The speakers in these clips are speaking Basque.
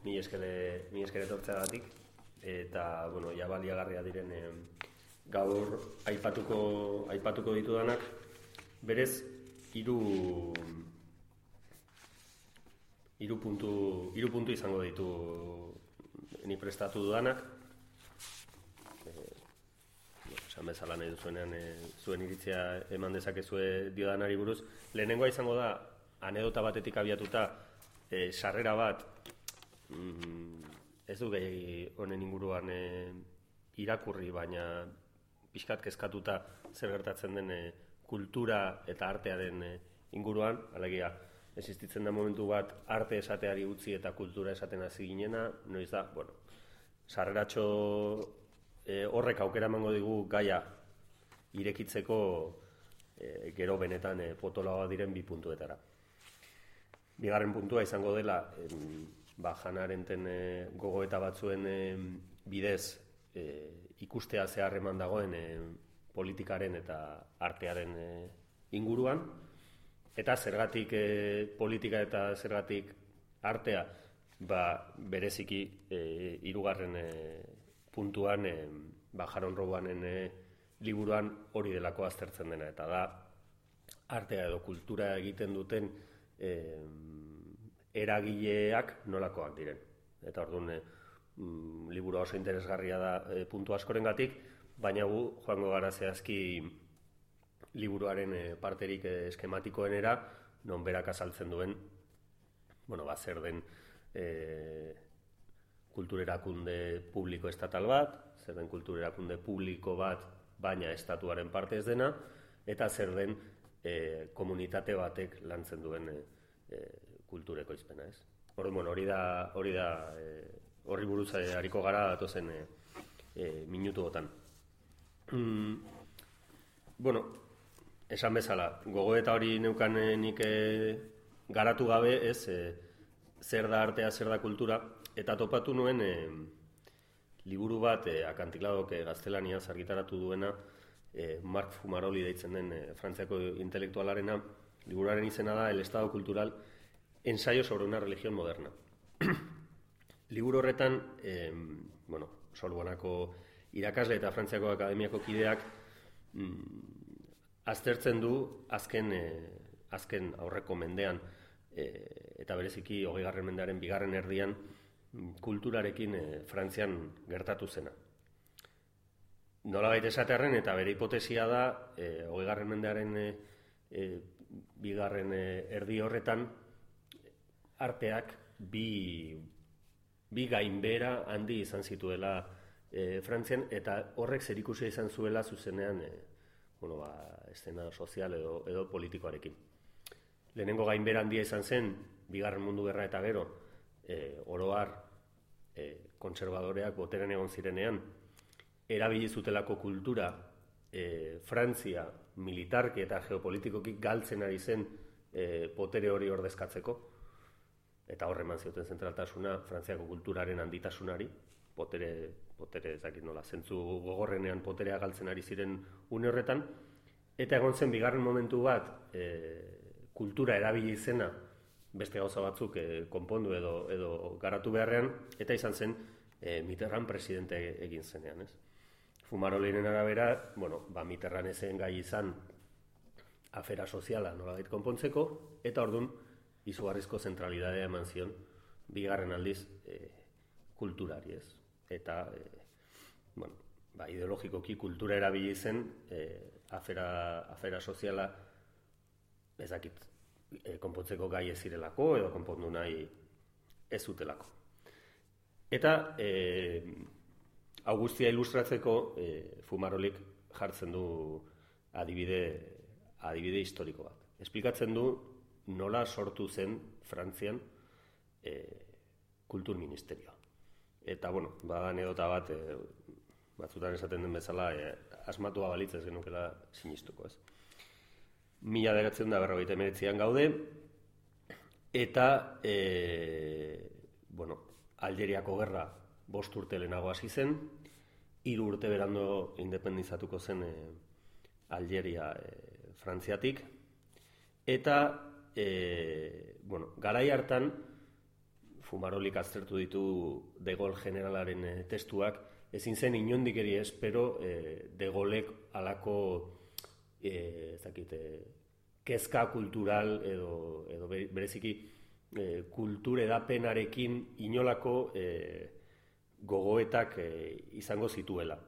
mi esker etortzeagatik, eta, bueno, ja baliagarria diren gaur aipatuko ditudanak, berez, hiru puntu izango ditu ni prestatu dudanak. Esan bezala nahi duzuenean zuen iritzia eman dezakezue diodanari buruz. Lehenengoa izango da, anedota batetik abiatuta, sarrera bat, ez du gehi honen inguruan irakurri, baina pixkat kezkatuta zer gertatzen den kultura eta artearen inguruan, alegia, existitzen da momentu bat arte esateari utzi eta kultura esaten hasi ginena, noiz da, bueno, sarreratxo horrek aukera emango digu gaia irekitzeko gero benetan potoloa diren bi puntuetara. Bigarren puntua izango dela, Hannah Arendten gogoeta batzuen bidez ikustea zehar eman dagoen politikaren eta artearen inguruan, eta zergatik politika eta zergatik artea, bereziki hirugarren puntuan Jaron Rowanen liburuan hori delako aztertzen dena, eta da artea edo kultura egiten duten eragileak nolakoak diren. Eta orduan liburua oso interesgarria da puntu askorengatik, baina gu joango gara zehazki liburuaren parterik eskematikoenera, non berak azaltzen duen, zer den kulturerakunde publiko estatal bat, zer den kulturerakunde publiko bat, baina estatuaren parte ez dena, eta zer den komunitate batek lantzen duen kultureko izpena, ez? Hori da horri buruz hariko gara datozen minutuotan. Esan bezala, gogoeta hori neukan nik garatu gabe, ez, zer da artea, zer da kultura, eta topatu nuen liburu bat Akantiladok gaztelaniaz argitaratu duena, Marc Fumaroli deitzen den Frantziako intelektualarena. Liburuaren izena da El Estado Cultural, ensayo sobre una religión moderna. Liburu horretan, Sorbonako irakasle eta Frantziako akademiako kideak aztertzen du azken aurreko mendean, eta bereziki 20. mendearen bigarren erdian kulturarekin Frantzian gertatu zena. Nolabait esatearren, eta bere hipotesia da 20. mendearen bigarren erdi horretan arteak bi gainbehera handi izan zituela Frantzian, eta horrek zerikusia izan zuela zuzenean eszena sozial edo politikoarekin. Lehenengo gainbehera handia izan zen, bigarren mundu gerra eta gero, oro har kontserbadoreak boterean egon zirenean, erabili zutelako kultura Frantzia militarki eta geopolitikoki galtzen ari zen potere hori ordezkatzeko, eta horre eman zioten zentraltasuna Frantziako kulturaren handitasunari, potere ezakit nola, zentzu gogorrenean poterea galtzen ari ziren une horretan, eta egon zen bigarren momentu bat kultura erabili izena beste gauza batzuk konpondu edo garatu beharrean, eta izan zen Mitterrand presidente egin zenean, ez? Fumarolinen arabera, Mitterrand ezen gai izan afera soziala nolabait konpontzeko, eta orduan izugarrizko zentralidadea eman zion bigarren aldiz kulturari, ez? Eta, ideologikoki kultura erabili zen afera soziala ezakit konpontzeko gai ez zirelako edo konpondu nahi ez zutelako. Eta hau guztia ilustratzeko Fumarolik jartzen du adibide historiko bat. Esplikatzen du nola sortu zen Frantzian kultur ministerioa. Eta, bada anedota bat, batzutan esaten den bezala, asmatua balitz ez genukela sinistuko, ez? 1959an gaude, eta, Aljeriako gerra 5 urte lehenago hasi zen, 3 urte berando independizatuko zen Aljeria Frantziatik, eta, garai hartan, fumarolik aztertu ditu De Gaulle generalaren testuak, ezin zen inondik ere espero De Gaulek halako kezka kultural edo bereziki kultur edapenarekin inolako gogoetak izango zituela.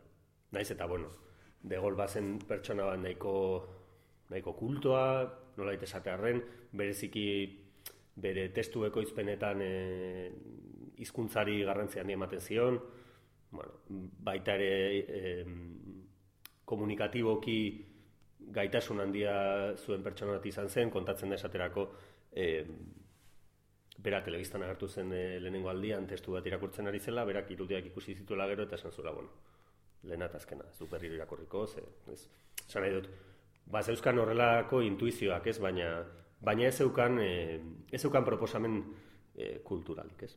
Naiz eta, De Gaulle bazen pertsona bat nahiko kultoa, nolait esatearren, bereziki bere testu ekoizpenetan hizkuntzari garrantzi handia ematen zion, baita ere komunikatiboki gaitasun handia zuen pertsona bat izan zen, kontatzen da esaterako bera telebistan agertu zen lehenengo aldian testu bat irakurtzen ari zela, berak irudiak ikusi zituela gero eta esan zuela, lehena eta azkena, ez du berriro irakurriko, esan nahi dut, zeuzkan horrelako intuizioak, ez, baina ez zeukan proposamen kulturalik, ez.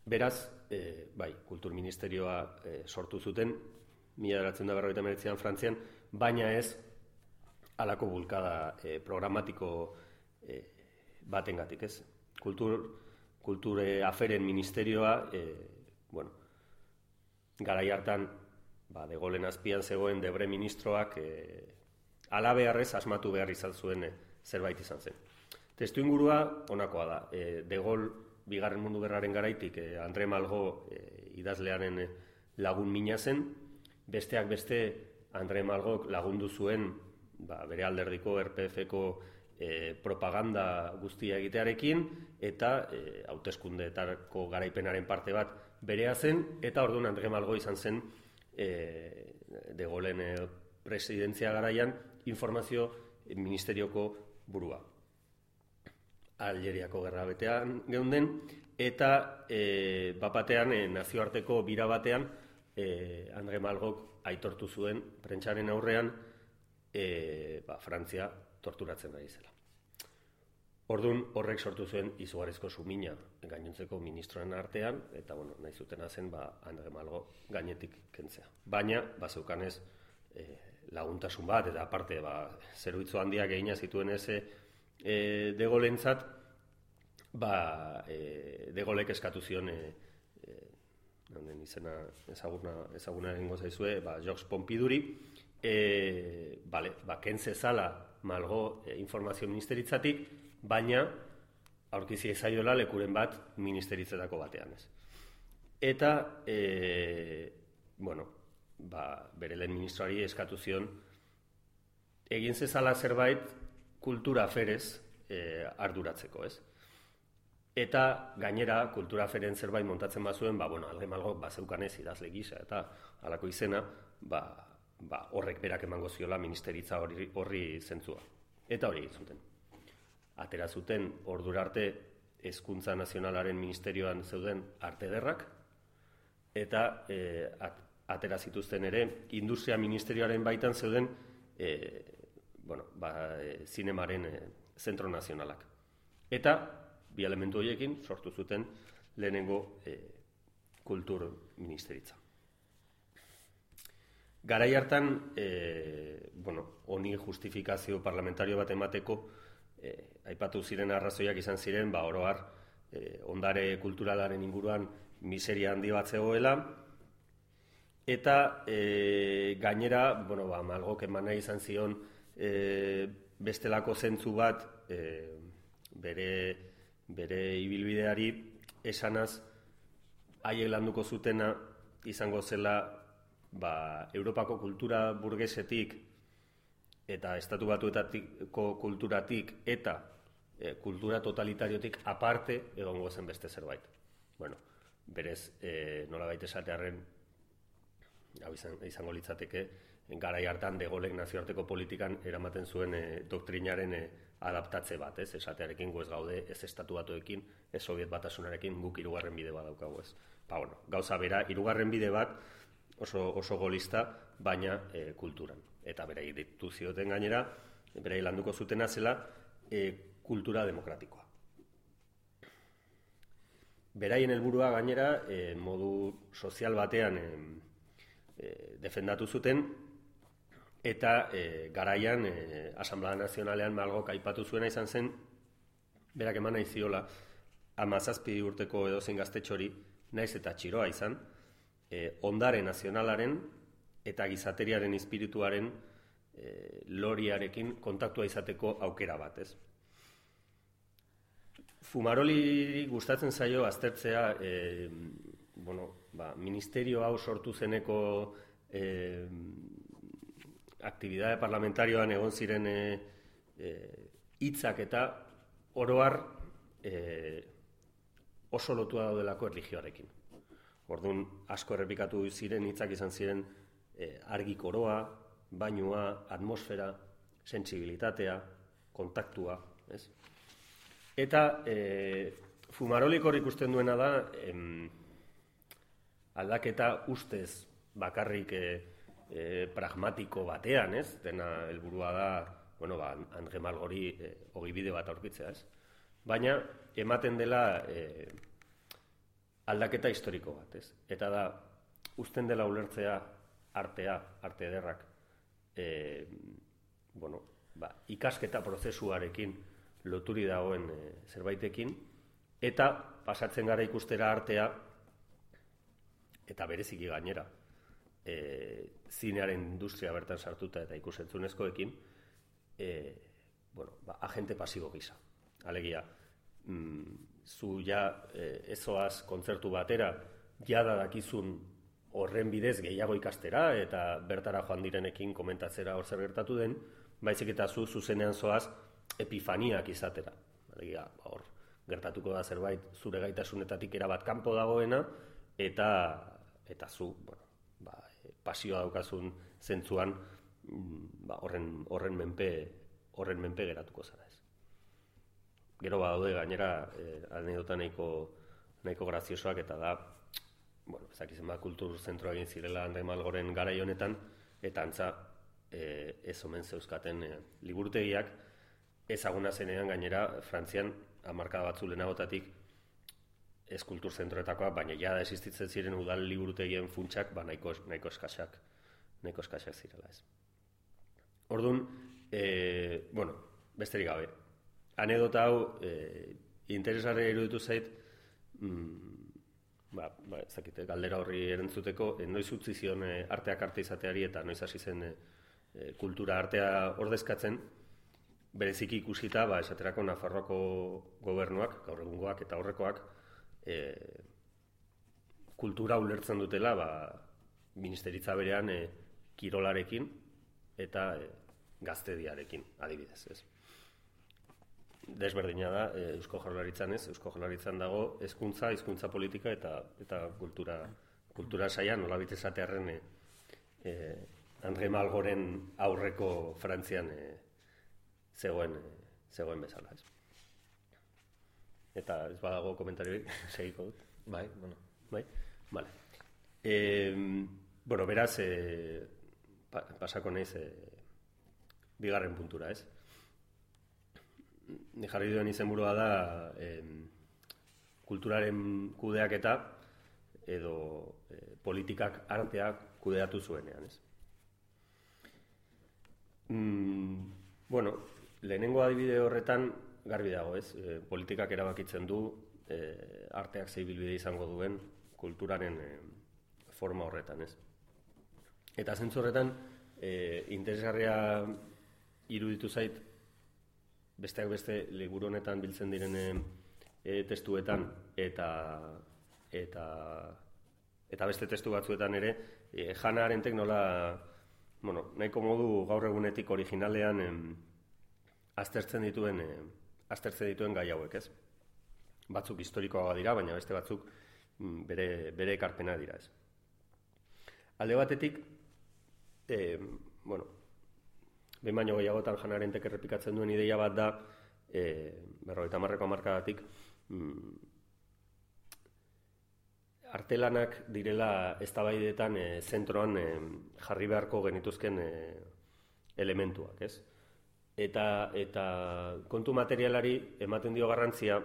Beraz, kultur ministerioa sortu zuten, 1949an Frantzian, baina ez halako bulkada programatiko batengatik, ez. Kultur aferen ministerioa, garai hartan, De Gaullen azpian zegoen Debre ministroak halabeharrez asmatu behar izan zuen zerbait izan zen. Testu ingurua honakoa da. De Gaulle Bigarren Mundu Gerraren garaitik André Malraux idazlearen lagun mina zen, besteak beste André Malraux lagundu zuen bere alderdiko RPF-ko propaganda guztia egitearekin eta hauteskundeetako garaipenaren parte bat berea zen, eta orduan André Malraux izan zen De Gaullen presidentzia garaian informazio ministerioko burua. Aljeriako gerra betean geunden, eta bapatean nazioarteko bira batean André Malraux aitortu zuen prentsaren aurrean Frantzia torturatzen ari zela. Orduan horrek sortu zuen izugarrizko sumina gainontzeko ministroen artean, eta nahi zutena zen André Malraux gainetik kentzea. Baina, zeukanez laguntasun bat, eta aparte, zerbitzu handiak egina zituen ez De Gaullentzat, De Gaulek eskatu zion, izena ezaguna egingo zaizue, Georges Pompiduri, kentze zala Malraux informazio ministeritzatik, baina aurkizi zaiola lekuren bat ministeritzetako batean, ez. Eta, bere lehen ministroari eskatu zion, egin zezala zerbait kultura aferez arduratzeko, ez. Eta gainera kultura aferen zerbait montatzen bazuen, André Malraux bazeukanez idazle gisa eta halako izena, horrek berak emango ziola ministeritza horri zentzua. Eta hori egin zuten. Atera zuten ordura arte Hezkuntza Nazionalaren ministerioan zeuden arte ederrak, eta atera zituzten ere Industria Ministerioaren baitan zeuden zinemaren zentro nazionalak. Eta bi elementu horiekin sortu zuten lehenengo kultur ministeritza. Garai hartan, honi justifikazio parlamentario bat emateko, aipatu ziren arrazoiak izan ziren, oro har, ondare kulturalaren inguruan miseria handi bat zegoela, eta gainera, Malraux eman nahi izan zion bestelako zentzu bat bere ibilbideari esanaz haiek landuko zutena izango zela Europako kultura burgesetik eta Estatu Batuetako kulturatik eta kultura totalitariotik aparte egongo zen beste zerbait. Berez, nolabait esatearren, hau izango litzateke, garai hartan De Gaulek nazioarteko politikan eramaten zuen doktrinaren adaptatze bat, ez? Esatearekin gu ez gaude, ez Estatu Batuekin, ez Soviet Batasunarekin, guk hirugarren bide bat daukagu, ez? Gauza bera, hirugarren bide bat oso golista, baina kulturan. Eta berai ditu zioten gainera, berai landuko zutena zela kultura demokratikoa. Beraien helburua gainera, modu sozial batean defendatu zuten, eta garaian Asamblea Nazionalean Malraux aipatu zuena izan zen, berak eman nahi ziola, 17 urteko edozein gaztetxori, naiz eta txiroa izan, ondare nazionalaren eta gizateriaren espirituaren loriarekin kontaktua izateko aukera bat, ez? Fumaroli gustatzen zaio aztertzea, ministerio hau sortu zeneko aktibitate parlamentarioan egon ziren hitzak eta oroar oso lotua daudelako erlijioarekin. Orduan, asko errepikatu ziren hitzak izan ziren argi koroa, bainua, atmosfera, sentsibilitatea, kontaktua, ez? Eta Fumarolik hor ikusten duena da aldaketa ustez bakarrik pragmatiko batean, ez? Dena helburua da, Andre Malgori ogibide bat aurkitzea, ez? Baina ematen dela aldaketa historiko bat, ez? Eta da, uzten dela ulertzea artea, arte ederrak, ikasketa prozesuarekin loturi dagoen zerbaitekin, eta pasatzen gara ikustera artea, eta bereziki gainera, zinearen industria bertan sartuta eta ikusentzunezkoekin, agente pasibo gisa. Alegia, zu ja ezoaz kontzertu batera, jada dakizun horren bidez gehiago ikastera, eta bertara joan direnekin komentatzera hor zer gertatu den, baizik eta zuzenean zoaz epifaniak izatera. Alegia, hor gertatuko da zerbait zure gaitasunetatik erabat kanpo dagoena, eta zu, pasioa daukazun zentzuan horren menpe geratuko zara, ez. Gero badaude gainera anekdota nahiko graziosoak, eta da, ezakizen kultur zentroa egin zirela Andre Malgoren garai honetan, eta antza ez omen zeuzkaten liburutegiak, ezaguna zenean gainera Frantzian hamarkada batzu lehenagotatik ez kultur zentroetakoa, baina jada existitzen ziren udal liburutegien funtsak nahiko eskasak zirela, ez. Orduan, besterik gabe, anekdota hau interesgarria iruditu zait, ezakite, galdera horri erantzuteko, noiz utzi zion arteak arte izateari eta noiz hasi zen kultura artea ordezkatzen, bereziki ikusita, esaterako Nafarroako gobernuak, gaur egungoak eta aurrekoak, kultura ulertzen dutela ministeritza berean kirolarekin eta gaztediarekin, adibidez, ez. Desberdina da, Eusko Jaurlaritzan ez, Eusko Jaurlaritzan dago hizkuntza politika eta kultura saia nolabait esatearren Andre Malgoren aurreko Frantzian zegoen bezala, ez. Eta ez badago komentarioik, segiko dut. Bai? Vale. Beraz, pasako naiz bigarren puntura, ez? Ni jarri duen izenburua da kulturaren kudeaketa edo politikak arteak kudeatu zuenean, ez? Lehenengo adibide horretan garbi dago, ez? Politikak erabakitzen du arteak zeibilbide izango duen kulturaren forma horretan, ez? Eta zentzu horretan interesgarria iruditu zait besteak beste liburu honetan biltzen diren testuetan eta beste testu batzuetan ere Hannah Arendtek nola nahiko modu gaur egunetik originalean aztertzen dituen gai hauek, ez? Batzuk historikoagoa dira, baina beste batzuk bere ekarpena dira, ez? Alde batetik, behin baino gehiagotan Hannah Arendtek errepikatzen duen ideia bat da, 50ko hamarkadatik, artelanak direla eztabaidetan zentroan jarri beharko genituzken elementuak, ez? Eta kontu materialari ematen dio garrantzia,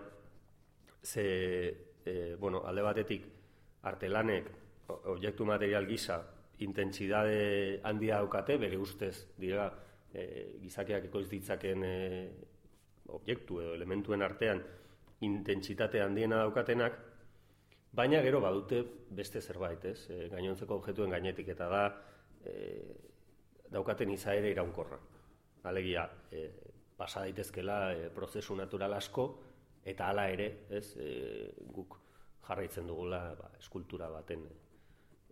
alde batetik artelanek objektu material gisa intentsitate handia daukate, bere ustez dira gizakiak ekoiz ditzaken objektu edo elementuen artean intentsitate handiena daukatenak, baina gero badute beste zerbait, ez? Gainontzeko objektuen gainetik, eta da daukaten izaera iraunkorra. Alegia, pasa daitezkela prozesu natural asko, eta hala ere, ez, guk jarraitzen dugula eskultura baten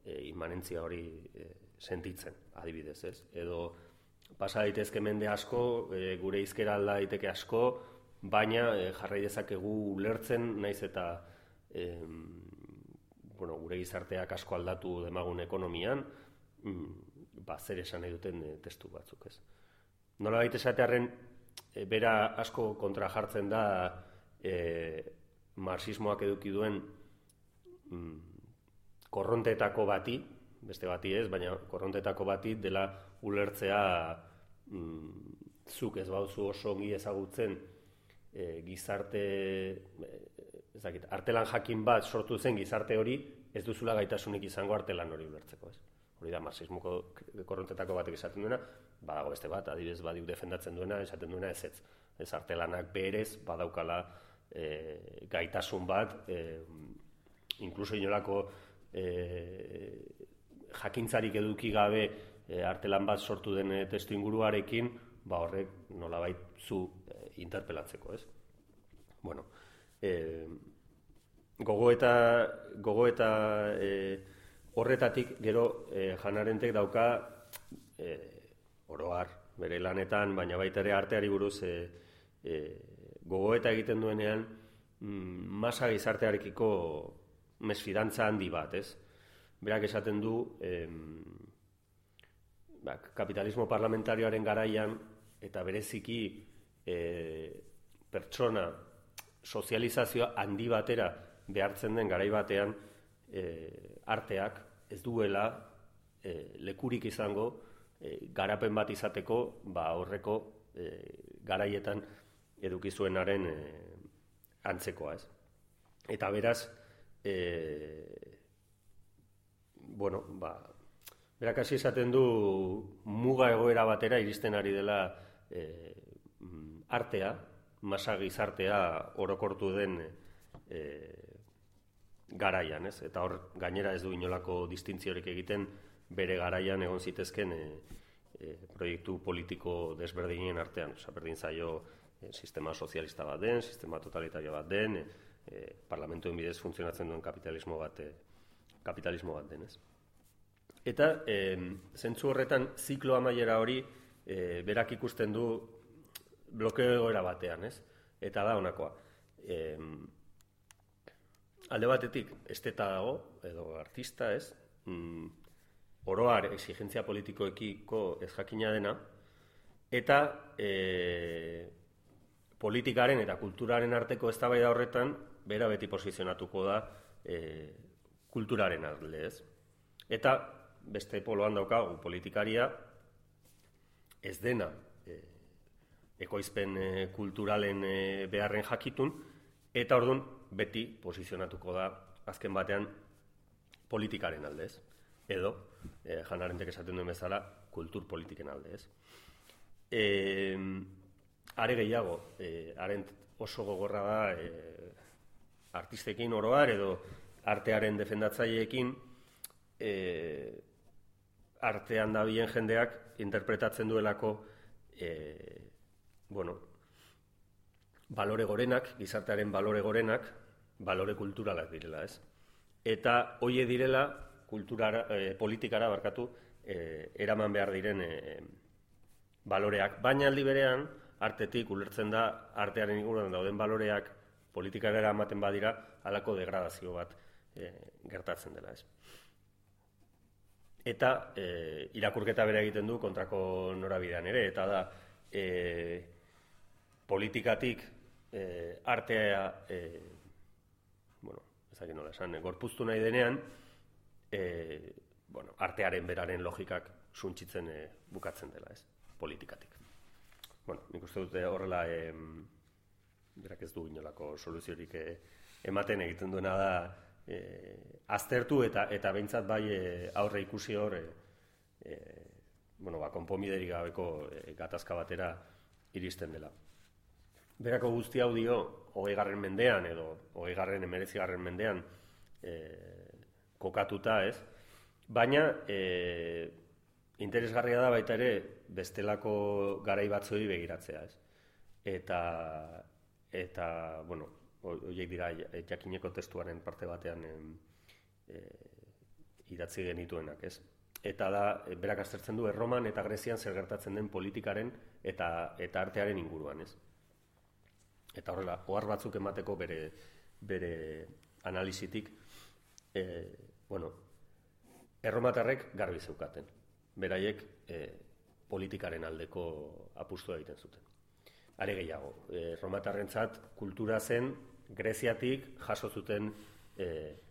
immanentzia hori sentitzen, adibidez, ez? Edo pasa daitezke mende asko, gure hizkera alda daiteke asko, baina jarrai dezakegu ulertzen, naiz eta gure gizarteak asko aldatu demagun ekonomian, zer esan nahi duten testu batzuk, ez? Nolabait esatearren, bera asko kontra jartzen da marxismoak eduki duen korrontetako bati, beste bati ez, baina korrontetako bati dela ulertzea zuk ez bauzu oso ongi ezagutzen gizarte, artelan jakin bat sortu zen gizarte hori, ez duzula gaitasunik izango artelan hori ulertzeko, ez? Hori da marxismoko korrontetako batek esaten duena, badago beste bat, adibidez badiuk defendatzen duena, esaten duena ez. Ez artelanak berez badaukala gaitasun bat, inkluso inolako jakintzarik eduki gabe artelan bat sortu den testu inguruarekin, horrek nolabait zu interpelatzeko, ez? Bueno, gogoeta horretatik gero Hannah Arendtek dauka oroar bere lanetan, baina baita ere arteari buruz gogoeta egiten duenean masa gizartearekiko mesfidantza handi bat, ez? Berak esaten du kapitalismo parlamentarioaren garaian eta bereziki pertsona sozializazioa handi batera behartzen den garai batean arteak ez duela lekurik izango garapen bat izateko horreko garaietan eduki zuenaren antzekoa, ez? Eta beraz, berak hasi esaten du muga egoera batera iristen ari dela artea, masa gizartea orokortu den garaian, ez? Eta hor gainera ez du inolako distintziorik egiten bere garaian egon zitezken proiektu politiko desberdinen artean. Berdin zaio sistema sozialista bat den, sistema totalitario bat den, parlamentuen bidez funtzionatzen duen kapitalismo bat den, ez? Eta zentzu horretan ziklo amaiera hori berak ikusten du blokeo egoera batean, ez? Eta da honakoa. Alde batetik, esteta dago, edo artista, ez? Oroar exigentzia politikoekiko ez jakina dena, eta politikaren eta kulturaren arteko eztabaida horretan, bera beti posizionatuko da kulturaren alde, ez? Eta beste poloan daukagu politikaria ez dena ekoizpen kulturalen beharren jakitun, eta orduan beti posizionatuko da azken batean politikaren alde, ez? Edo, Hannah Arendtek esaten duen bezala, kultur politiken alde, ez? Are gehiago, Arendt oso gogorra da artistekin oroar edo artearen defendatzaileekin artean dabilen jendeak interpretatzen duelako balore gorenak, gizartearen balore gorenak, balore kulturalak direla, ez? Eta hoie direla politikara eraman behar diren baloreak, baina aldi berean artetik ulertzen da artearen inguruan dauden baloreak politikara eramaten badira halako degradazio bat gertatzen dela, ez? Eta irakurketa bere egiten du kontrako norabidean ere, eta da politikatik artea ezagik nola esan, gorpuztu nahi denean artearen beraren logikak suntsitzen bukatzen dela, ez? Politikatik. Nik uste dute horrela berak ez du inolako soluziorik ematen egiten duena da aztertu eta behintzat bai aurre ikusi hor konponbiderik gabeko gatazka batera iristen dela. berako guzti hau dio 20. mendean edo 19. mendean kokatuta, ez? Baina interesgarria da baita ere bestelako garai batzuei begiratzea, ez? Eta bueno, horiek dira jakineko testuaren parte batean idatzi genituenak, ez? Eta da, berak aztertzen du Erroman eta Grezian zer gertatzen den politikaren eta artearen inguruan, ez? Eta horrela, ohar batzuk emateko bere analisitik, bueno, erromatarrek garbi zeukaten. Beraiek politikaren aldeko apustua egiten zuten. Are gehiago, erromatarrentzat kultura zen Greziatik jaso zuten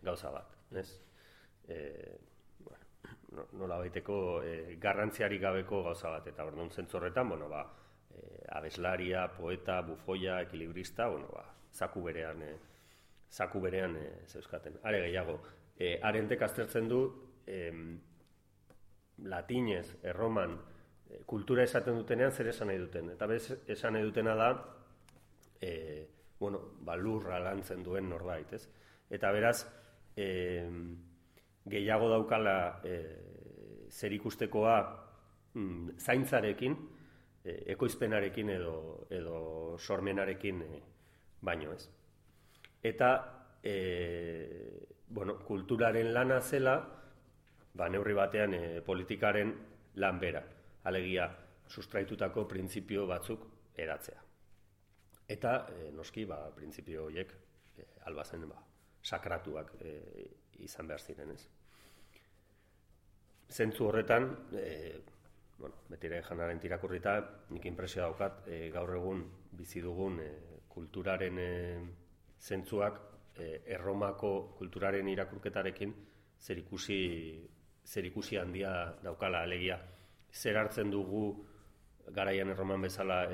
gauza bat, ez? Nola baiteko garrantziarik gabeko gauza bat, eta orduan zentzu horretan, bueno, abeslaria, poeta, bufoia, ekilibrista, bueno, zaku berean zeuzkaten. Are gehiago, Arentek aztertzen du latinez, erroman, kultura esaten dutenean zer esan nahi duten. Eta bez, esan nahi dutena da, bueno, lurra lantzen duen norbait, ez? Eta beraz, gehiago daukala zer ikustekoa zaintzarekin, ekoizpenarekin edo sormenarekin baino, ez? Eta, bueno, kulturaren lana zela, neurri batean politikaren lan bera, alegia sustraitutako printzipio batzuk edatzea. Eta, noski, printzipio horiek albazen sakratuak izan behar ziren, ez? Zentzu horretan, betire janaren tirakurrita, nik inpresioa daukat, gaur egun bizi dugun kulturaren zentzuak Erromako kulturaren irakurketarekin zerikusi handia daukala, alegia. Zer hartzen dugu garaian Erroman bezala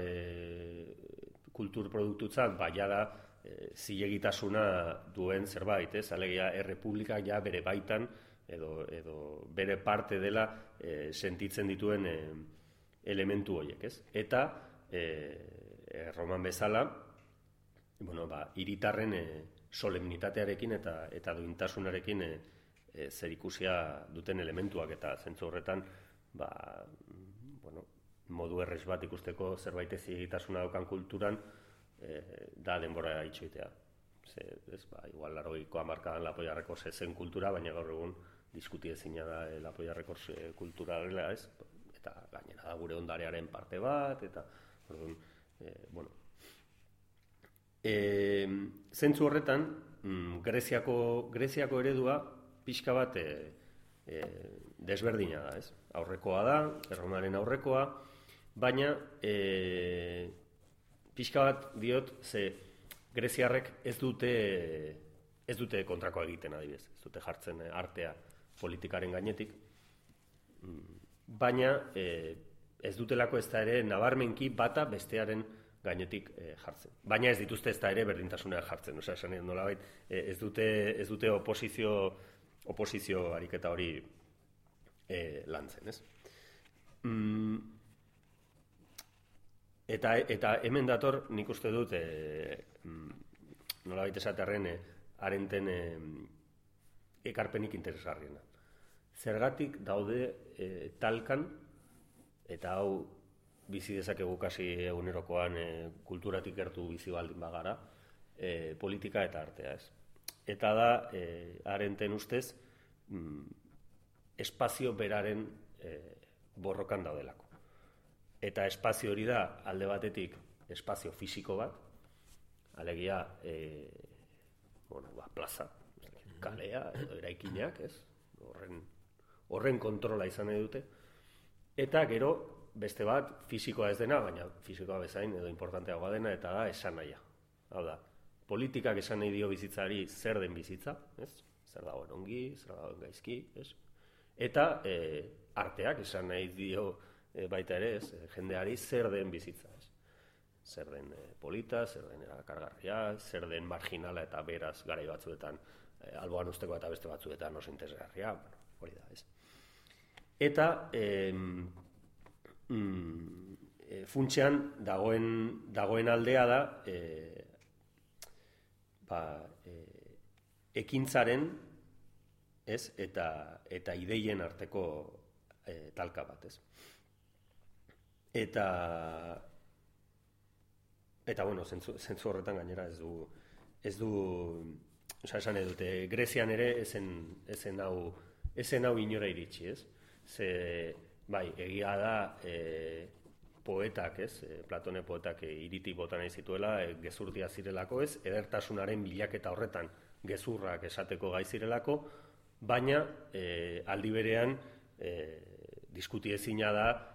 kulturproduktutzat, jada zilegitasuna duen zerbait, ez? Alegia, errepublikak ja bere baitan edo bere parte dela sentitzen dituen elementu horiek, ez? Eta Erroman bezala, bueno, hiritarren solemnitatearekin eta duintasunarekin zerikusia duten elementuak, eta zentzu horretan, bueno, modu errez bat ikusteko zerbait ezigitasuna daukan kulturan, da denbora itxoitea. Igual 80ko hamarkadan Lapolla Records zen kultura, baina gaur egun diskuti ezina da Lapolla Records kultura dela, ez? Eta gainera da gure ondarearen parte bat, eta, bueno. Zentzu horretan, Greziako eredua pixka bat desberdina da, ez? Aurrekoa da, Erromaren aurrekoa, baina pixka bat diot, ze greziarrek ez dute kontrakoa egiten, adibidez, ez dute jartzen artea politikaren gainetik, baina ez dutelako ez da ere nabarmenki bata bestearen gainetik jartzen. Baina ez dituzte ez da ere berdintasuna jartzen, osea, esan nolabait, ez dute oposizio ariketa hori lantzen, ez? Eta hemen dator, nik uste dut, nolabait esatearren, Arenten ekarpenik interesgarriena. Zergatik daude talkan, eta hau bizi dezakegu kasi egunerokoan kulturatik gertu bizi baldin bagara, politika eta artea, ez? Eta da, Arenten ustez, espazio beraren borrokan daudelako. Eta espazio hori da, alde batetik, espazio fisiko bat, alegia, plaza, kalea, edo eraikinak, ez? Horren kontrola izan nahi dute. Eta gero, beste bat, fisikoa ez dena, baina fisikoa bezain edo importanteagoa dena, eta da esan nahia. Hau da, politikak esan nahi dio bizitzari zer den bizitza, ez? Zer dagoen ongi, zer dagoen gaizki, ez? Eta arteak esan nahi dio baita ere, ez? Jendeari zer den bizitza, ez? Zer den polita, zer den erakargarria, zer den marginala eta beraz garai batzuetan alboan usteko eta beste batzuetan oso interesgarria, hori da, ez? Eta funtsean dagoen aldea da ekintzaren, ez, eta ideien arteko talka bat, ez. Eta bueno, zentzu horretan gainera ez du, esan edute, Grezian ere ezen hau inora iritsi, ez? Bai, egia da poetak, ez? Platone poetak hiritik bota nahi zituela, gezurtia zirelako, ez? Edertasunaren bilaketa horretan gezurrak esateko gai zirelako, baina aldi berean diskuti ezina da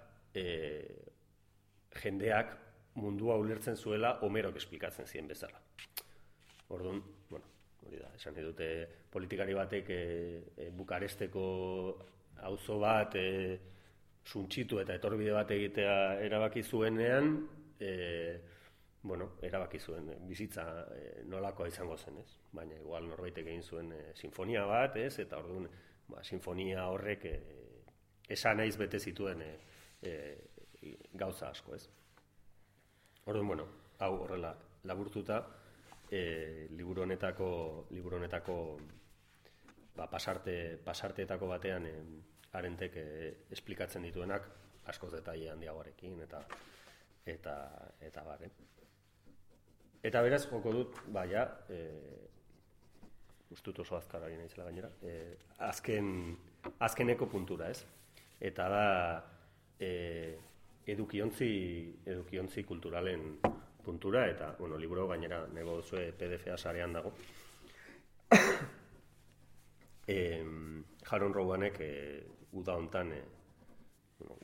jendeak mundua ulertzen zuela Homerok esplikatzen zien bezala. Orduan, bueno, hori da, esan dute politikari batek Bukaresteko auzo bat suntsitu eta etorbide bat egitea erabaki zuenean, erabaki zuen bizitza nolakoa izango zen, ez? Baina igual norbaitek egin zuen sinfonia bat, ez? Eta orduan, sinfonia horrek esan naiz bete zituen gauza asko, ez? Orduan, bueno, hau horrela laburtuta, liburu honetako pasarteetako batean Arentek esplikatzen dituenak askoz detaile handiagoarekin eta bare. Eta beraz, joko dut, ustut oso azkar ari naizela gainera, azkeneko puntura, ez? Eta da edukiontzi kulturalen puntura, eta, bueno, liburu gainera nego duzue PDF-a sarean dago. Jaron Rowanek uda hontan,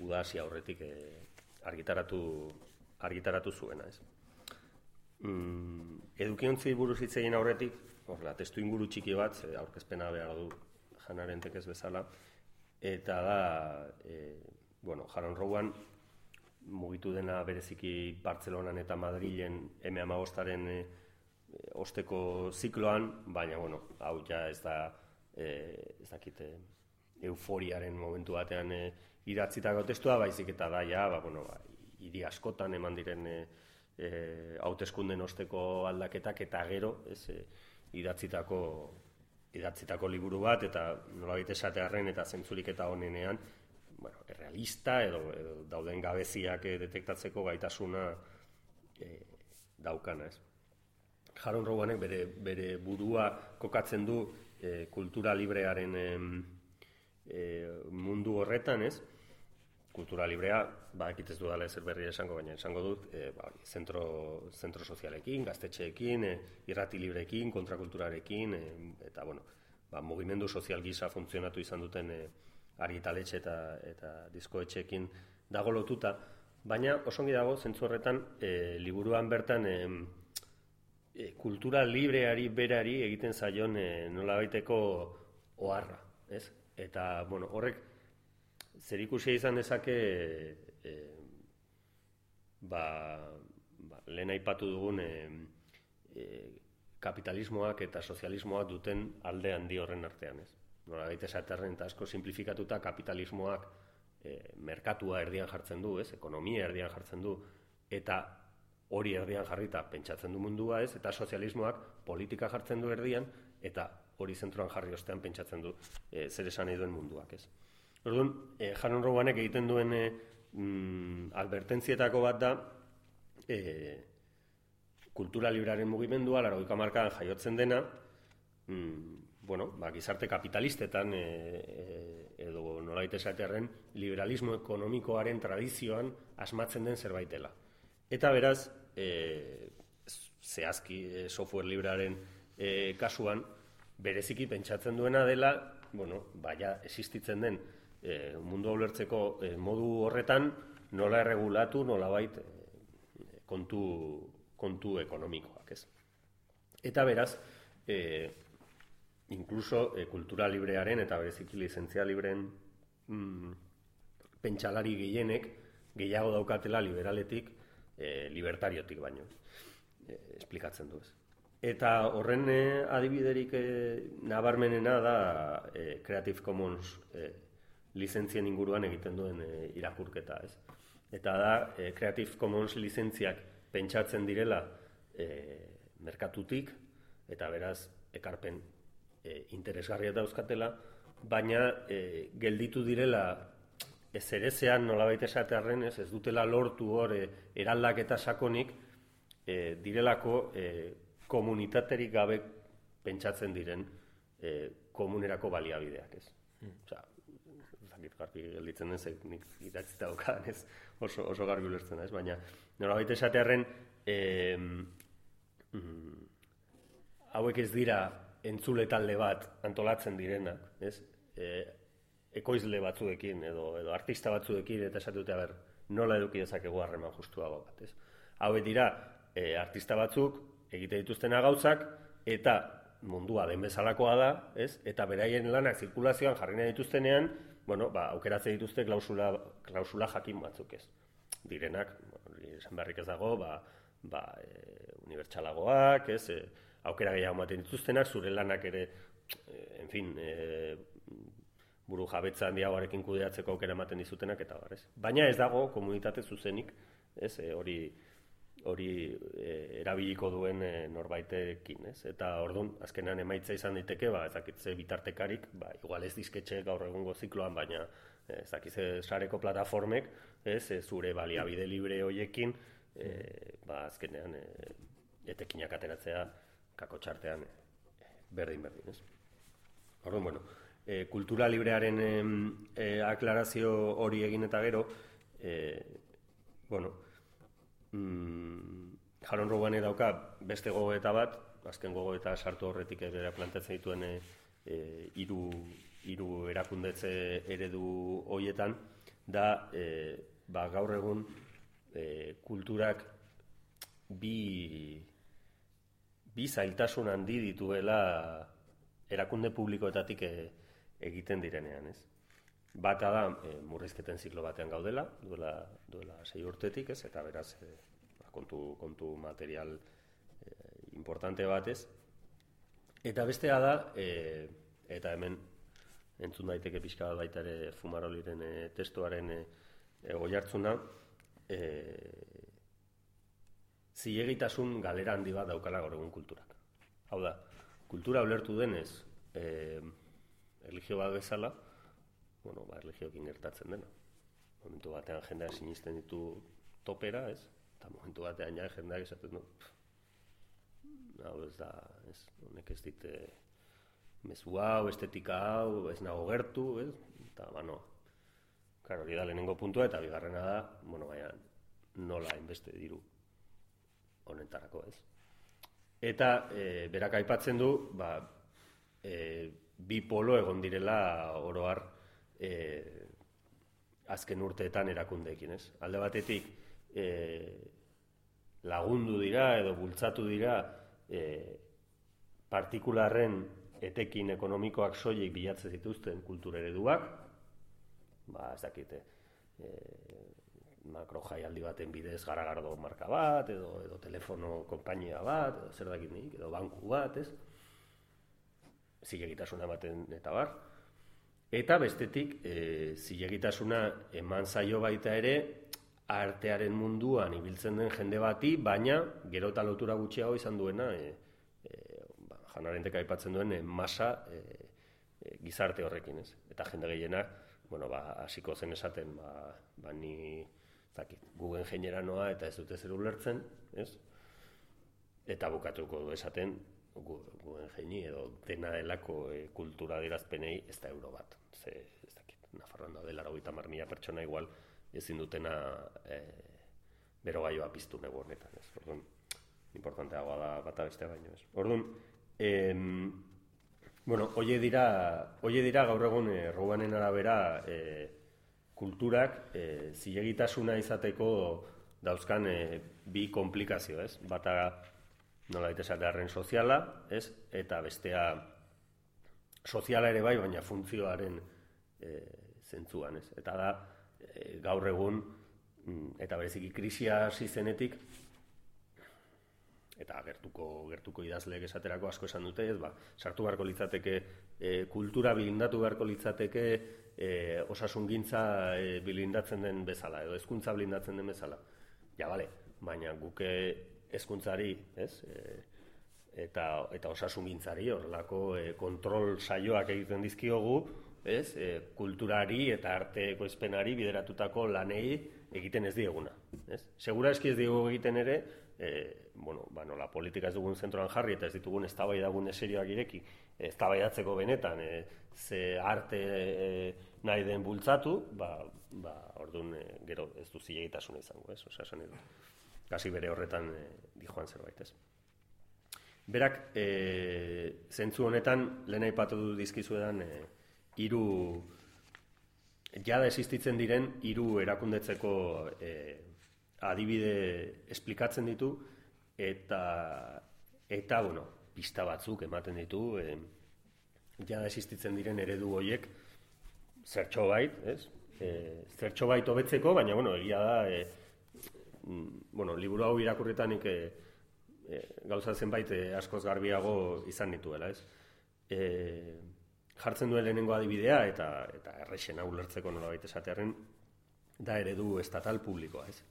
uda hasi aurretik argitaratu zuena, ez? Edukiontzi buruz hitz egin aurretik, testu inguru txiki bat, aurkezpena behar du Hannah Arendtek ez bezala, eta da, Jaron Rowan mugitu dena bereziki Bartzelonan eta Madrilen M15-aren osteko zikloan, baina, hau ja ez dakit euforiaren momentu batean idatzitako testua, baizik eta da, hiri askotan eman diren hauteskunden osteko aldaketak eta gero idatzitako liburu bat, eta nolabait esatearren eta zentzurik eta honenean, errealista edo dauden gabeziak detektatzeko gaitasuna daukana, ez. Jaron Rowanek bere burua kokatzen du kultura librearen mundu horretan, ez? Kultura librea, bakit ez dudala ezer berri esango, baina esango dut, zentro sozialekin, gaztetxeekin, irrati libreekin, kontrakulturarekin, eta, mugimendu sozial gisa funtzionatu izan duten argitaletxe eta diskoetxeekin dago lotuta, baina osongi dago, zentzu horretan, liburuan bertan kultura libreari berari egiten zaion nolabaiteko oharra, ez? Eta, horrek zerikusia izan dezake lehen aipatu dugun kapitalismoak eta sozialismoak duten alde handi horren artean, ez? Nolabait esatearren eta asko simplifikatuta kapitalismoak merkatua erdian jartzen du, ez? Ekonomia erdian jartzen du, eta hori erdian jarrita pentsatzen du mundua, ez? Eta sozialismoak politika jartzen du erdian, eta hori zentroan jarri ostean pentsatzen du zer esan nahi duen munduak, ez? Orduan, Jaron Rowanek egiten duen advertentzietako bat da kultura librearen mugimendua, 80 hamarkadan jaiotzen dena, gizarte kapitalistetan edo nolabait esatearren liberalismo ekonomikoaren tradizioan asmatzen den zerbait dela. Eta beraz, zehazki software librearen kasuan, bereziki pentsatzen duena dela, existitzen den mundu ulertzeko modu horretan nola erregulatu, nolabait kontu ekonomikoak, ez? Eta beraz, inkluso kultura librearen eta bereziki lizentzia libreen pentsalari gehienek gehiago daukatela liberaletik, libertariotik baino, esplikatzen du, ez. Eta horren adibiderik nabarmenena da Creative Commons lizentzien inguruan egiten duen irakurketa, ez. Eta da, Creative Commons lizentziak pentsatzen direla merkatutik, eta beraz, ekarpen interesgarria dauzkatela, baina gelditu direla ezerezean nolabait esatearren, ez dutela lortu hor eraldaketa sakonik, direlako komunitaterik gabe pentsatzen diren komunerako baliabideak, ez? Osea, zakit garbi gelditzen den, nik idatzita daukadan, ez? Oso garbi ulertzen da, ez? Baina nolabait esatearren hauek ez dira entzule talde bat antolatzen direnak, ez? Ekoizle batzuekin edo artista batzuekin eta esatute, nola eduki dezakegu harreman justuago bat, ez? Hauek dira artista batzuk egite dituztena gauzak eta mundua den bezalakoa da, ez? Eta beraien lanak zirkulazioan jarri nahi dituztenean, aukeratze dituzte klausula jakin batzuk, ez? Direnak, esan beharrik ez dago, unibertsalagoak, ez? Aukera gehiago ematen dituztenak, zure lanak ere, buru jabetza handiagoarekin kudeatzeko aukera ematen dizutenak, eta bar, ez? Baina ez dago komunitate zuzenik, ez? Hori erabiliko duen norbaitekin, ez? Eta orduan, azkenan emaitza izan daiteke, ez dakitze bitartekarik, igual ez dizketxe gaur egungo zikloan, baina ez dakitze sareko plataformek, ez? Zure baliabide libre hoiekin, azkenean etekinak ateratzea kako txartean berdin, ez? Orduan, kultura librearen aklarazio hori egin eta gero, Jaron Rowane dauka beste gogoeta bat, azken gogoeta sartu horretik bera planteatzen dituen hiru erakundetze eredu horietan, da gaur egun kulturak bi zailtasun handi dituela erakunde publikoetatik egiten direnean, ez? Bata da, murrizketen ziklo batean gaudela, duela 6 urtetik, ez? Eta beraz, kontu material importante batez. Eta bestea da, eta hemen entzun daiteke pixka bat baita ere Fumaroliren testuaren oihartzuna, zilegitasun galera handi bat daukala gaur egun kulturak. Hau da, kultura ulertu denez, erlijio bat bezala, erlijioekin gertatzen dena. Momentu batean jendeak sinisten ditu topera, ez? Eta momentu batean jendeak esaten du, hau ez da, honek ez dit mezu hau, estetika hau, ez nago gertu, ez? Eta, hori da lehenengo puntua, eta bigarrena da, baina nola hainbeste diru honetarako, ez? Eta berak aipatzen du, bi polo egon direla oro har azken urteetan erakundeekin, ez? Alde batetik lagundu dira edo bultzatu dira partikularren etekin ekonomikoak soilik bilatzen zituzten kultur ereduak, ez dakite, makro jaialdi baten bidez Garagardo marka bat, edo telefono konpainia bat, edo zer dakit nik, edo banku bat, ez? Zilegitasuna ematen eta bar. Eta bestetik, zilegitasuna eman zaio baita ere, artearen munduan ibiltzen den jende bati, baina gero eta lotura gutxiago izan duena, Hannah Arendtek aipatzen duen masa gizarte horrekin, ez? Eta jende gehienak, hasiko zen esaten, ni Google ingeniera noa eta ez dute zer ulertzen, ez? Eta bukatuko du esaten, Google ingeni edo dena delako kultura adierazpenei ez da euro bat. Ez dakit, Nafarroan daude 80.000 pertsona igual ezin dutena berogailua piztu negu honetan, ez? Orduan, importanteagoa da bata beste baino, ez? Orduan, hoie dira gaur egun Rowanen arabera kulturak zilegitasuna izateko dauzkan bi komplikazio, ez? Bata nolabait esatearren soziala, ez? Eta bestea soziala ere bai, baina funtzioaren zentzuan, ez? Eta da, gaur egun, eta bereziki krisia hasi zenetik, eta gertuko idazleek esaterako asko esan dute, ez? Sartu beharko litzateke kultura bilindatu beharko litzateke osasungintza bilindatzen den bezala, edo hezkuntza bilindatzen den bezala. Ja, bale, baina guke hezkuntzari, ez? Eta osasungintzari horrelako kontrol saioak egiten dizkiogu, ez? Kulturari eta arte ekoizpenari bideratutako lanei egiten ez dieguna, ez? Segura eski ez diegu egiten ere, nola politika ez dugun zentroan jarri eta ez ditugun eztabaidagune serioak ireki, eztabaidatzeko benetan ze arte nahi den bultzatu, orduan gero ez du zilegitasuna izango, ez? Osea, esan edo, kasi bere horretan dijoan zerbait, ez? Berak, zentzu honetan, lehen aipatu dizkizuedan, jada existitzen diren 3 erakundetzeko adibide esplikatzen ditu eta pista batzuk ematen ditu jada existitzen diren eredu horiek zertxobait, ez? Zertxobait hobetzeko, baina, egia da, liburu hau irakurritanik gauza zenbait askoz garbiago izan dituela, ez? Jartzen duen lehenengo adibidea eta errexena ulertzeko nolabait esatearren da eredu estatal publikoa, ez?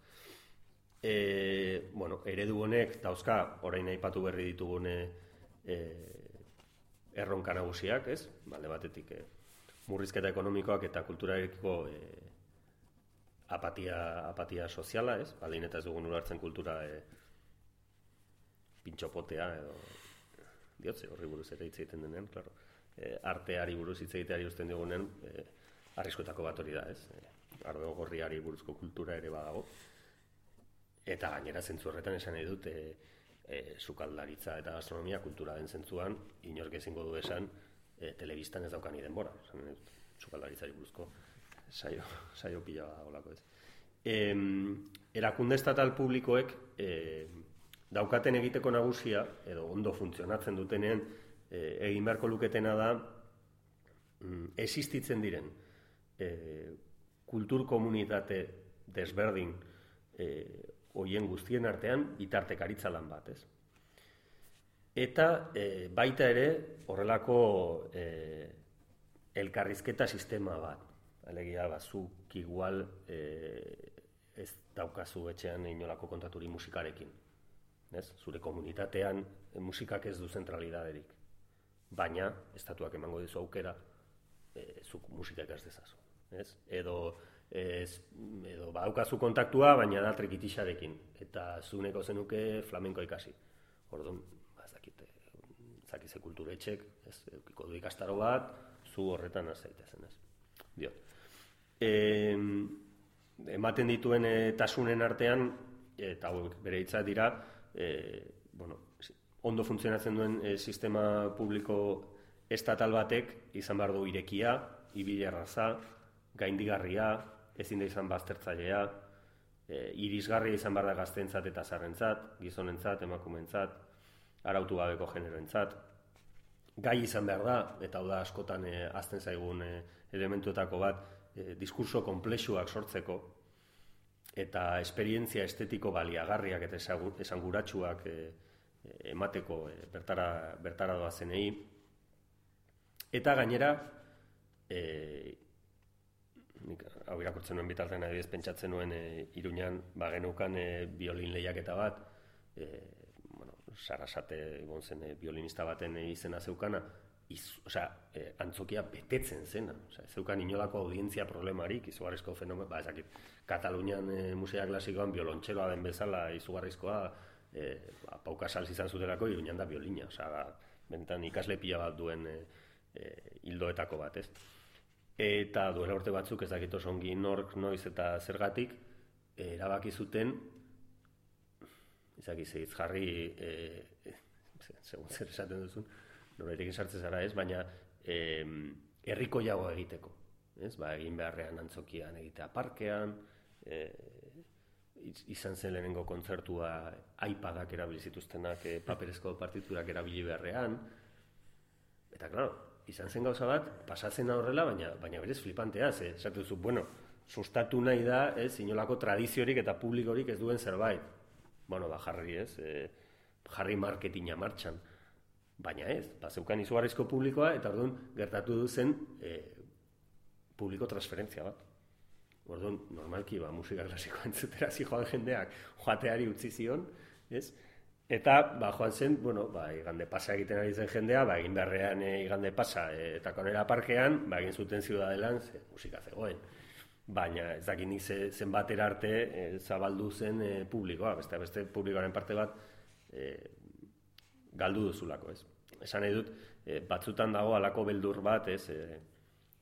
Eredu honek dauzka orain aipatu berri ditugun erronka nagusiak, ez? Alde batetik murrizketa ekonomikoak eta kulturarekiko apatia soziala, ez? Baldin eta ez dugun ulertzen kultura pintxopotea edo diotze horri buruz ere hitz egiten denean, claro. Arteari buruz hitz egiteari uzten digunen arriskuetako bat hori da, ez? Ardo gorriari buruzko kultura ere badago. Eta gainera zentzu horretan esan nahi dut sukaldaritza eta gastronomia kultura den zentzuan inork ezingo du esan telebistan ez daukani denbora. Esan nahi dut sukaldaritzari buruzko saio pila olako, ez? Erakunde estatal publikoek daukaten egiteko nagusia, edo ondo funtzionatzen dutenean, egin beharko luketena da existitzen diren kultur komunitate desberdin hoien guztien artean bitartekaritza lan bat, ez? Eta baita ere horrelako elkarrizketa sistema bat. Alegia, zuk igual ez daukazu etxean inolako kontaturi musikarekin. Zure komunitatean musikak ez du zentralidaderik. Baina, estatuak emango dizu aukera, zuk musika ikas dezazu. Edo badaukazu kontaktua, baina da trikitixarekin. Eta zuneko zenuke flamenko ikasi. Orduan, zakize kulturetxek, eukiko du ikastaro bat, zu horretan azaitezen, ez? Diot. Ematen dituen tasunen artean, eta bere hitza dira, ondo funtzionatzen duen sistema publiko estatal batek izan behar du irekia, ibilerraza, gaindigarria, ezin da izan baztertzailea, irisgarria izan behar da gazteentzat eta zaharrentzat, gizonentzat, emakumeentzat, arautu gabeko generoentzat. Gai izan behar da, eta hau da askotan hazten zaigun elementuetako bat, diskurso konplexuak sortzeko, eta esperientzia estetiko baliagarriak eta esanguratsuak emateko bertara doazenei. Eta gainera, hau irakurtzen nuen bitartean adibidez pentsatzen nuen Iruñan bagenukan biolin lehiaketa bat, Sarasate egon zen biolinista baten izena zeukana, antzokia betetzen zena. Zeukan inolako audientzia problemarik, izugarrizko fenomen, Katalunian musika klasikoan biolontxeroa den bezala izugarrizkoa, Pau Casals izan zutelako Iruñan da biolina, bentan ikasle pila bat duen hildoetako bat, ez? Eta duela urte batzuk, ez dakit oso ongi nork, noiz eta zergatik, erabaki zuten, hitz jarri, segun zer esaten duzun, norerekin sartzen zara ez, baina herriko jagoa egiteko. Egin beharrean antzokian egitea parkean, izan zen lehenengo kontzertua iPadak erabili zituztenak paperezko partiturak erabili beharrean, eta klaro, izan zen gauza bat, pasatzen horrela, baina berez flipantea, esatu duzu, sustatu nahi da, inolako tradiziorik eta publikorik ez duen zerbait. Jarri marketinga martxan. Baina ez, zeukan izugarrizko publikoa, eta orduan gertatu zen publiko transferentzia bat. Orduan, normalki, musika klasikoa entzutera joan jendeak joateari utzi zion, ez? Eta, joan zen, igande pasa egiten ari zen jendea, egin beharrean igande pasa, eta konera parkean, egin zuten Ziudadelan, musika zegoen. Baina ez dakit nik zenbatera arte zabaldu zen publikoa, beste publikoaren parte bat galdu duzulako, ez? Esan nahi dut, batzutan dago halako beldur bat, ez?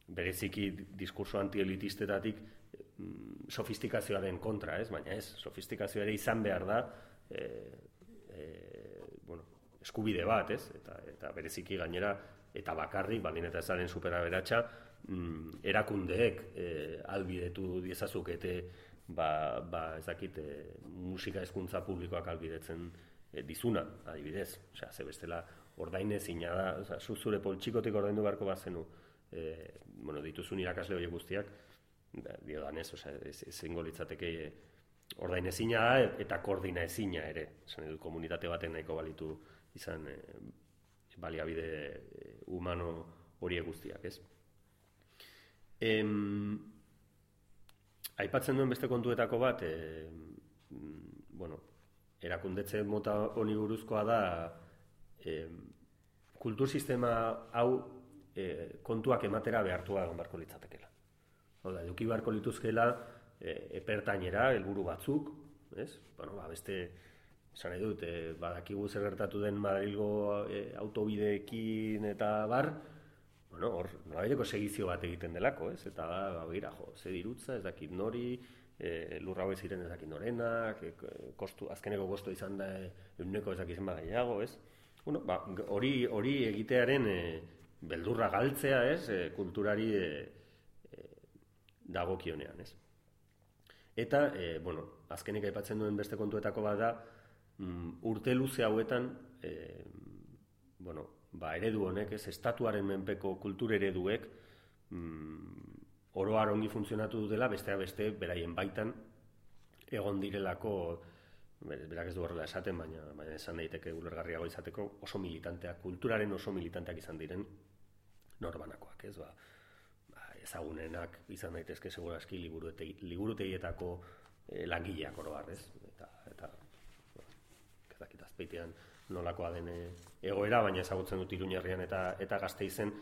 Bereziki diskurso antielitistetatik sofistikazioaren kontra, ez? Baina ez, sofistikazioa ere izan behar da eskubide bat, ez? Eta bereziki gainera, eta bakarrik, baldin eta ezaren superaberatsa, erakundeek albidetu diezazukete ezakit musika hezkuntza publikoak albidetzen dizuna, adibidez. Osea, ze bestela ordainezina da, zure poltsikotik ordaindu beharko bat zenu, dituzun irakasle horiek guztiak, diodanez, ezingo litzateke ordainezina da eta koordinaezina ere. Esan edo, komunitate baten nahiko balitu izan baliabide humano horiek guztiak, ez? Aipatzen duen beste kontuetako bat, erakundetze mota honi buruzkoa da kultur sistema hau kontuak ematera behartua egon beharko litzatekeela. Hau da, eduki beharko lituzkeela epertainera, helburu batzuk, ez? Beste, esan nahi dut, badakigu zer gertatu den Madrilgo autobideekin eta bar, hor, norabileko segizio bat egiten delako, ez? Eta, ze dirutza, ez dakit nori, lurra hauek ziren ez dakit norenak, azkeneko kostu izan da euneko ez dakit zenbat gehiago, ez? Hori egitearen beldurra galtzea, ez? Kulturari dagokionean, ez? Eta, azkenik aipatzen duen beste kontuetako bat da, urte luze hauetan, eredu honek, ez, estatuaren menpeko kultur ereduek oroar ongi funtzionatu dutela, besteak beste, beraien baitan egon direlako, berak ez du horrela esaten, baina esan daiteke ulergarriago izateko, oso militanteak, kulturaren oso militanteak izan diren norbanakoak, ez, ezagunenak izan daitezke segurazki liburutegietako langileak oroar, ez? Eta azpeitean nolakoa den egoera, baina ezagutzen dut Iruñerrian eta Gasteizen,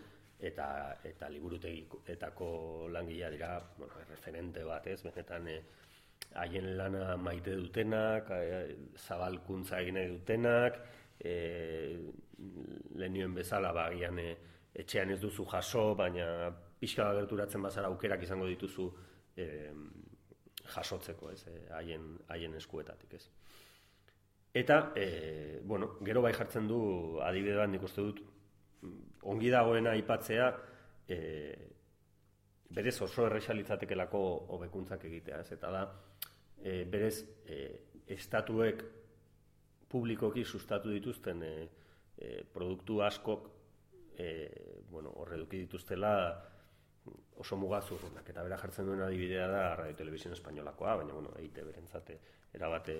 eta liburutegietako langilea dira, referente bat, ez? Benetan haien lana maite dutenak, zabalkuntza egin nahi dutenak, lehenioen bezala agian etxean ez duzu jaso, baina pixka gerturatzen bazara aukerak izango dituzu jasotzeko, ez, haien eskuetatik, ez. Eta, gero bai jartzen du adibide bat, nik uste dut, ongi dagoena aipatzea, berez oso erresa litzatekelako hobekuntzak egitea, ez, eta da, berez, estatuek publikoki sustatu dituzten produktu askok, horreduki dituztela oso mugazurrunak, eta bera jartzen duen adibidea da Radio Televisión Espainolakoa, baina, EITB berentzat erabate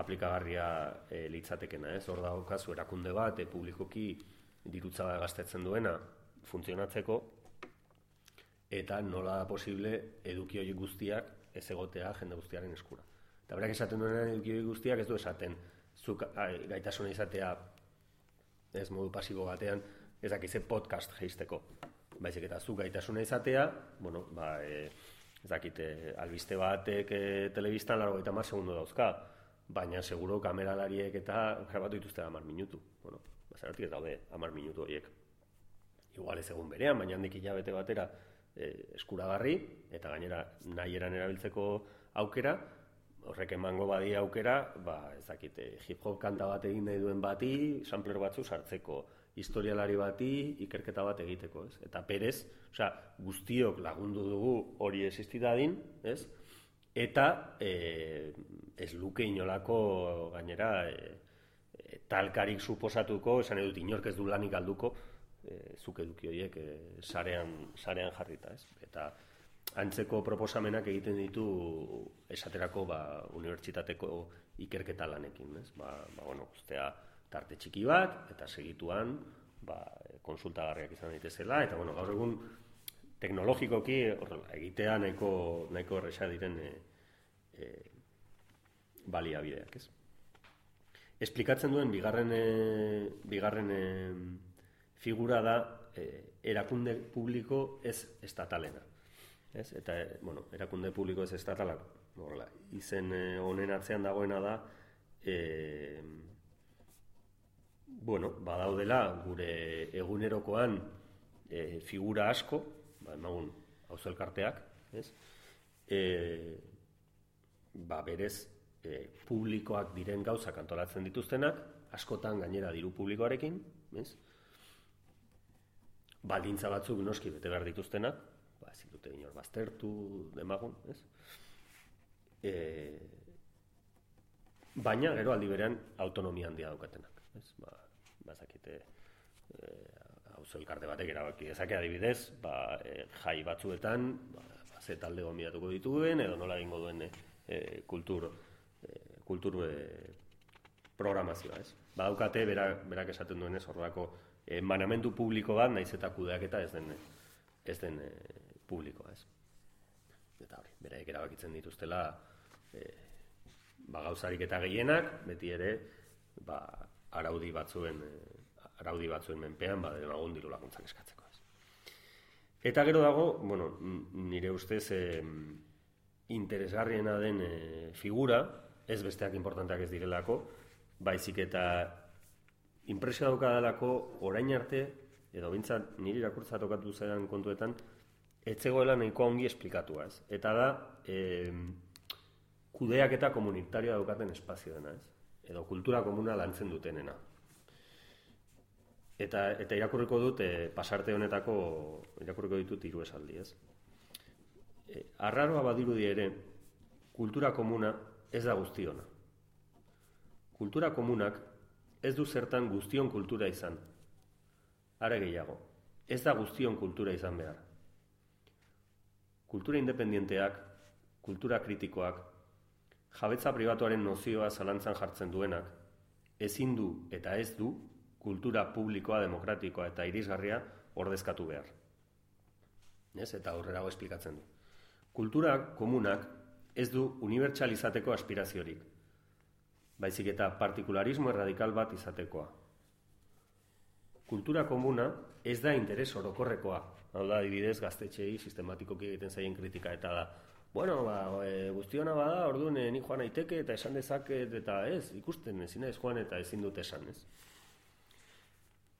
aplikagarria litzatekena, ez? Hor daukazu erakunde bat, publikoki dirutza gastatzen duena funtzionatzeko, eta nola da posible eduki horiek guztiak ez egotea jende guztiaren eskura. Eta berak esaten duena eduki horiek guztiak ez du esaten, zuk gaitasuna izatea ez modu pasibo batean, ez dakize podcast jeisteko. Baizik eta zu gaitasuna izatea, ez dakite, albiste batek telebistan 80 segundo dauzka, baina seguro kameralariek eta grabatu dituzte 10 minutu. Zergatik ez daude 10 minutu horiek. Igual ez egun berean, baina handik hilabete batera eskuragarri, eta gainera nahi eran erabiltzeko aukera, horrek emango badia aukera, ez dakite, hip-hop kanta bat egin nahi duen bati, sampler batzu sartzeko, historialari bati ikerketa bat egiteko, ez? Eta perez, guztiok lagundu dugu hori existidadin, ez? Eta ez luke inolako gainera talkarik suposatuko, esan edut inork ez du lanik galduko, zuk eduki horiek sarean jarrita, ez? Eta antzeko proposamenak egiten ditu esaterako unibertsitateko ikerketa lanekin, ez? Ustea tarte txiki bat, eta segituan konsultagarriak izan daitezela, eta gaur egun teknologikoki egitea nahiko erresa diren baliabideak, ez? Esplikatzen duen bigarren figura da erakunde publiko ez estatalena. Eta, erakunde publiko ez estatala, izen honen atzean dagoena da, badaudela gure egunerokoan figura asko, emagun auzo elkarteak, berez publikoak diren gauzak antolatzen dituztenak, askotan gainera diru publikoarekin, baldintza batzuk noski bete behar dituztenak, ezin dute inor baztertu demagun, baina gero aldi berean autonomia handia daukatenak, bazakite auzo elkarte batek erabaki dezake adibidez, jai batzuetan ze talde gonbidatuko dituen edo nola egingo duen kultur programazioa, badaukate berak esaten duenez horrelako manamendu publiko bat naiz eta kudeaketa ez den publikoa, eta hori, beraik erabakitzen dituztela gauzarik eta gehienak, beti ere araudi batzuen menpean demagun diru laguntzak eskatzeko. Eta gero dago, nire ustez interesgarriena den figura, ez besteak importanteak ez direlako, baizik eta inpresio daukadalako orain arte, edo bintzat niri irakurtza tokatu zaidan kontuetan, ez zegoela nahiko ongi esplikatua, eta da kudeaketa komunitarioa daukaten espazio dena, edo kultura komuna lantzen dutenena. Eta irakurriko dut, pasarte honetako irakurriko ditut 3 esaldi, arraroa badirudi ere, kultura komuna ez da guztiona. Kultura komunak ez du zertan guztion kultura izan. Are gehiago, ez da guztion kultura izan behar. Kultura independienteak, kultura kritikoak, jabetza pribatuaren nozioa zalantzan jartzen duenak, ezin du eta ez du kultura publikoa, demokratikoa eta irisgarria ordezkatu behar. Eta aurrerago esplikatzen du. Kultura komunak ez du unibertsalizateko aspiraziorik, baizik eta partikularismo erradikal bat izatekoa. Kultura komuna ez da interes orokorrekoa, hau da, adibidez, gaztetxeei sistematikoki egiten zaien kritika, eta da, guztiona bada, orduan ni joan naiteke eta esan dezaket, eta ez, ikusten ezin ez joan eta ezin dut esan, ez?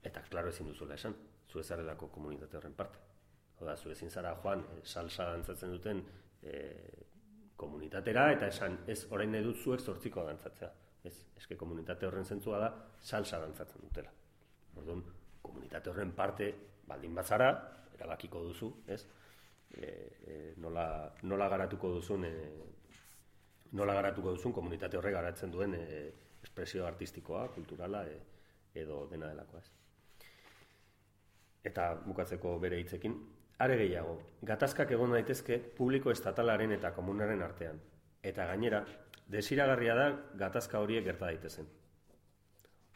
Eta, klaro, ezin duzuela esan, zu ezarelako komunitate horren parte. Hau da, zu ezin zara joan, salsa dantzatzen duten komunitatera, eta esan, ez, orain nahi dut zuek 8 dantzatzea. Ez, eske komunitate horren zentzua da, salsa dantzatzen dutela. Orduan, komunitate horren parte, baldin bazara, erabakiko duzu, ez? Nola garatuko duzun komunitate horre garatzen duen espresio artistikoa, kulturala, edo dena delakoa, ez? Eta bukatzeko bere hitzekin, are gehiago, gatazkak egon daitezke publiko estatalaren eta komunaren artean. Eta gainera, desiragarria da gatazka horiek gerta daitezen.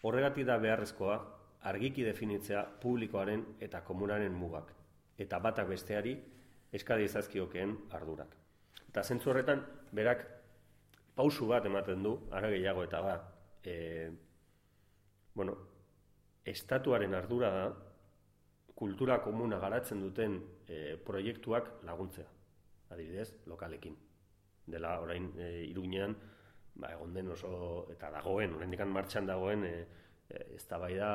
Horregatik da beharrezkoa, argiki definitzea publikoaren eta komunaren mugak, eta batak besteari eskadi ezazkiokeen ardurak. Eta zentzu horretan, berak pausu bat ematen du, are gehiago eta ba, estatuaren ardura da, kultura komuna garatzen duten proiektuak laguntzea, adibidez, lokalekin. Dela orain Iruñean, egon den oso, eta dagoen, oraindik martxan dagoen, eztabaida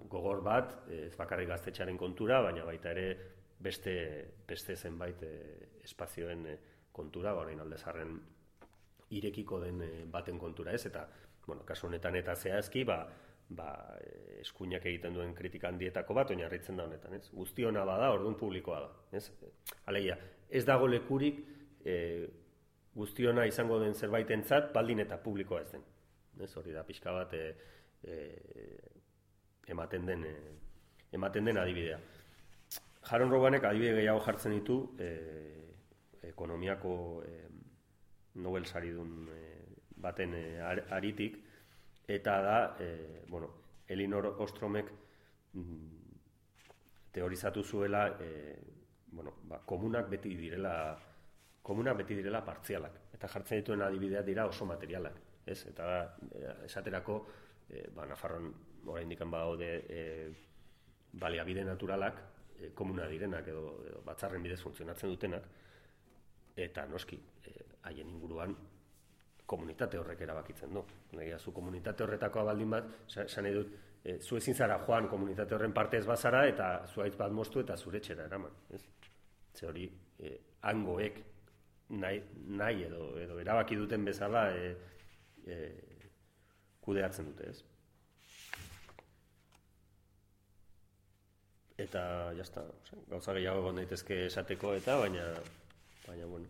gogor bat, ez bakarrik gaztetxearen kontura, baina baita ere beste zenbait espazioen kontura, orain Aldezarren irekiko den baten kontura ez, eta, kasu honetan eta zehazki, eskuinak egiten duen kritika handietako bat, oinarritzen da honetan, ez? Guztiona bada, orduan publikoa da, ez? Alegia, ez dago lekurik guztiona izango den zerbaitentzat, baldin eta publikoa ez den. Ez hori da, pixka bat ematen den adibidea. Jaron Robanek adibide gehiago jartzen ditu ekonomiako Nobel saridun baten aritik, eta da, Elinor Ostromek teorizatu zuela komunak beti direla partzialak, eta jartzen dituen adibideak dira oso materialak, ez? Eta esaterako Nafarroan oraindik badaude baliabide naturalak komuna direnak edo batzarren bidez funtzionatzen dutenak, eta noski haien inguruan komunitate horrek erabakitzen du. Zu komunitate horretakoa baldin bat, esan nahi dut, zu ezin zara joan komunitate horren parte ez bazara eta zuaitz bat moztu eta zure etxera eraman. Ze hori hangoek nahi edo erabaki duten bezala kudeatzen dute, ez? Eta jazta, gauza gehiago egon daitezke esateko eta baina bueno.